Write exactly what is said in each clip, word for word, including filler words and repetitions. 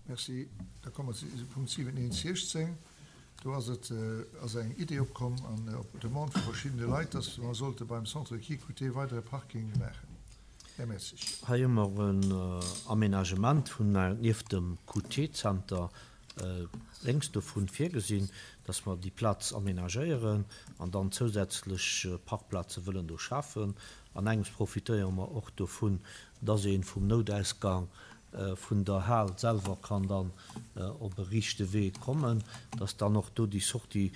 Merci. Da komme mer zu Punkt siwen eent siechzéng. Do ass et, ass eng Idee opkomm an op Demande vu verschiddene Leit, dass mer sollte beim Centre de Kiekouté weider e Parking maachen. Här Mertzig. Hei hu mer en Aménagement vun, nieft dem Q T-Zenter, lénks dovun virgesinn, dass mer déi Plaz aménagéieren an dann zousätzlech Parkplaze wëllen do schafen. An engems profitéiere mer och dovun, dass ee vum Noutausgang vun der Hal selwer kann dann op e riichte Wee kommen, dass dann och do déi Sortie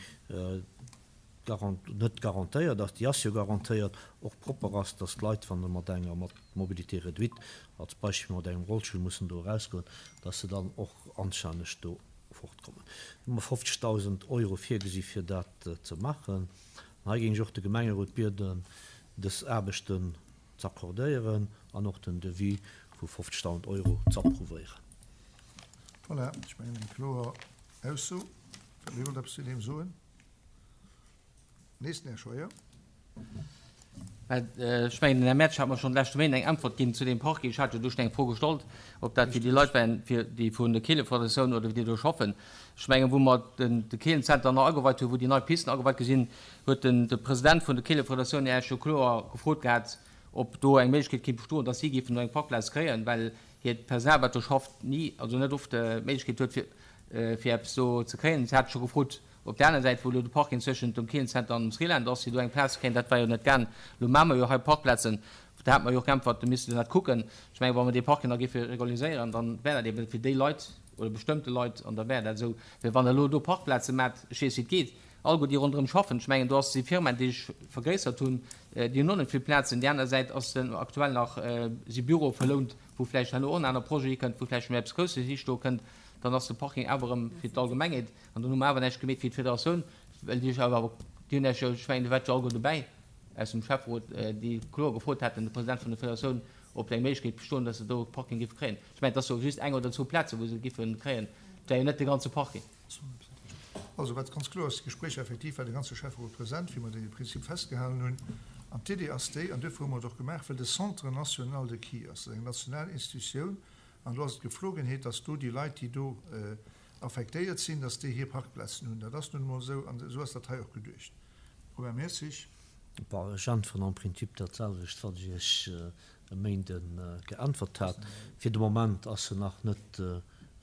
net garantéiert ass, déi ass jo garantéiert, och propper ass, dass d'Leit, wann se mat enger mat Mobilité réduite, als Beispill mat engem Rollstull mussen do erausgoen, dass se dann och anstänneg do fortkommen. Do hu mer fofzegdausend Euro virgesi fir dat ze maachen. An hei géing ech och de Gemengerot bieden, dës Aarbechten z'accordéieren an och den Devis vu fofzegdausend Euro z'approuvéieren. Voilà, ech mengen eng kloer Ausso. Wie wollt eppes zu deem soen? Nees den Här Scheuer. Ech mengen, den Här Mertsch hat mer schonn de leschte Méint eng Äntwert ginn zu deem Parking. Ech hat jo do schonn eng Fro gestallt, ob dat fir déi Leit waren, fir déi vun der Keelefederatioun oder déi do schaffen. Ech mengen, wou mer den de Keelenzenter nach ageweit hunn, wou déi nei Pisten ageweit gi sinn, huet den de President vun der Keelefederatioun Iech jo kloer gefrot gehat, ob do eng Méiglechkeet kéint bestoen, dass si géifen do eng Parkplaz kréien, well hiert Personal, wat do schafft, ni, also net oft d'Méiglechkeet huet, fir fir eppes do ze kréien. Si hat scho gefrot, op där aner Säit, wou elo de Parking zwëschent dem Keelenzenter an dem Sriland ass, fir do eng Plaz ze kréien. Dat war jo net gaang. Elo maache mer jo hei Parkplazen. Da hat mer jo och geäntwert, do misste se dat kucken. Ech mengen, wa mer dee Parking da géife regulariséieren, da wär dat eeben fir déi Leit oder bestëmmte Leit an da wär dat esou. Well wann Der elo do Parkplaze maacht, ech weess, wéi et geet, alleguer déi ronderëm schaffen, ech mengen, do ass déi Firma, déi sech vergréissert hunn, déi hunn och net vill Plazen. Déi aner Säit ass den aktuell nach, si Büroe verlount, wou vläicht herno och en aner Projet hikënnt, wou vläicht méi eppes Grousses histoe kënnt. Dann ass de Parking awer erëm fir d'Allgemengheet an dann hu mer awer näischt gemeet fir d'Federatioun, well déi sech awer, déi hunn Iech jo, ech mengen, Dir waart jo alleguer dobäi aus dem Schäfferot, déi kloer gefrot haten, de President vun der Federatioun, ob eng Méiglechkeet bestoen, datt se do e Parking géife kréien. Ech mengen, et ass jo just eng oder zwou Plaze wou se géife kréien, et wär jo net de ganze Parking. Also wat ganz kloer ass, d'Gespréicher effektiv war de ganze Schäfferot present, wéi mer dee Prinzip festgehalen hunn. An d'Idee ass déi, an duerfir hu mer et och gemaach, well de Centre national de Ski ass, dat ass eng national Institutioun, An do ass et Geflogenheet, dass do déi Leit, déi do affektéiert sinn, dass déi hir Parkplazen hunn. Dat ass nun emol esou an esou ass dat hei och geduecht. Romain Mertzig. Bon, ech äntweren am Prinzip dat selwecht, wat ech Iech e Méinde geäntwert hat. Fir de Moment ass se nach net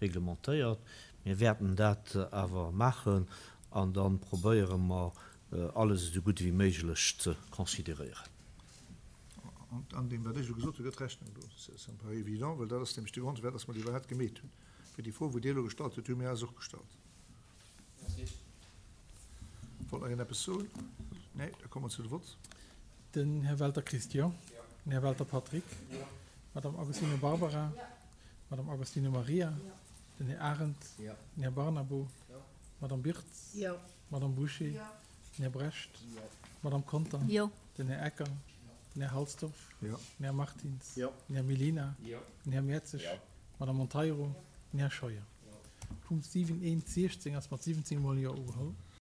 reglementéiert. Mir wäerten dat awer maachen an da probéiere mer, alles esou gutt ewéi méiglech ze consideréieren. An deem, wat ech elo gesot hunn, gëtt Rechnung do. Ça me paraît évident, well dat ass nämlech de Grond, firwat dass mer déi iwwerhaapt gemeet hunn. Fir déi Fro, wou Dir elo gestallt hutt, hu mir eis och gestallt. Wollt nach een eppes soen? Nee, da komme mer zu de Vott. Den Här Welter Christian. Den Här Welter Patrick. D'Madame Agostino Barbara. D'Madame Agostino Maria. Den Här Arendt. Den Här Barnabo. D'Madame Birtz. D'Madame Bouché. Den Här Brecht. D'Madame Conter. Den Här Ecker. Den Här Halsdorf. Den Här Martins. Den Här Mellina. Den Här Mertzig. D'Madame Monteiro. Den Här Scheuer. Punkt siwen eent siechzéng ass mat siwwenzéng Mol Jo ugeholl.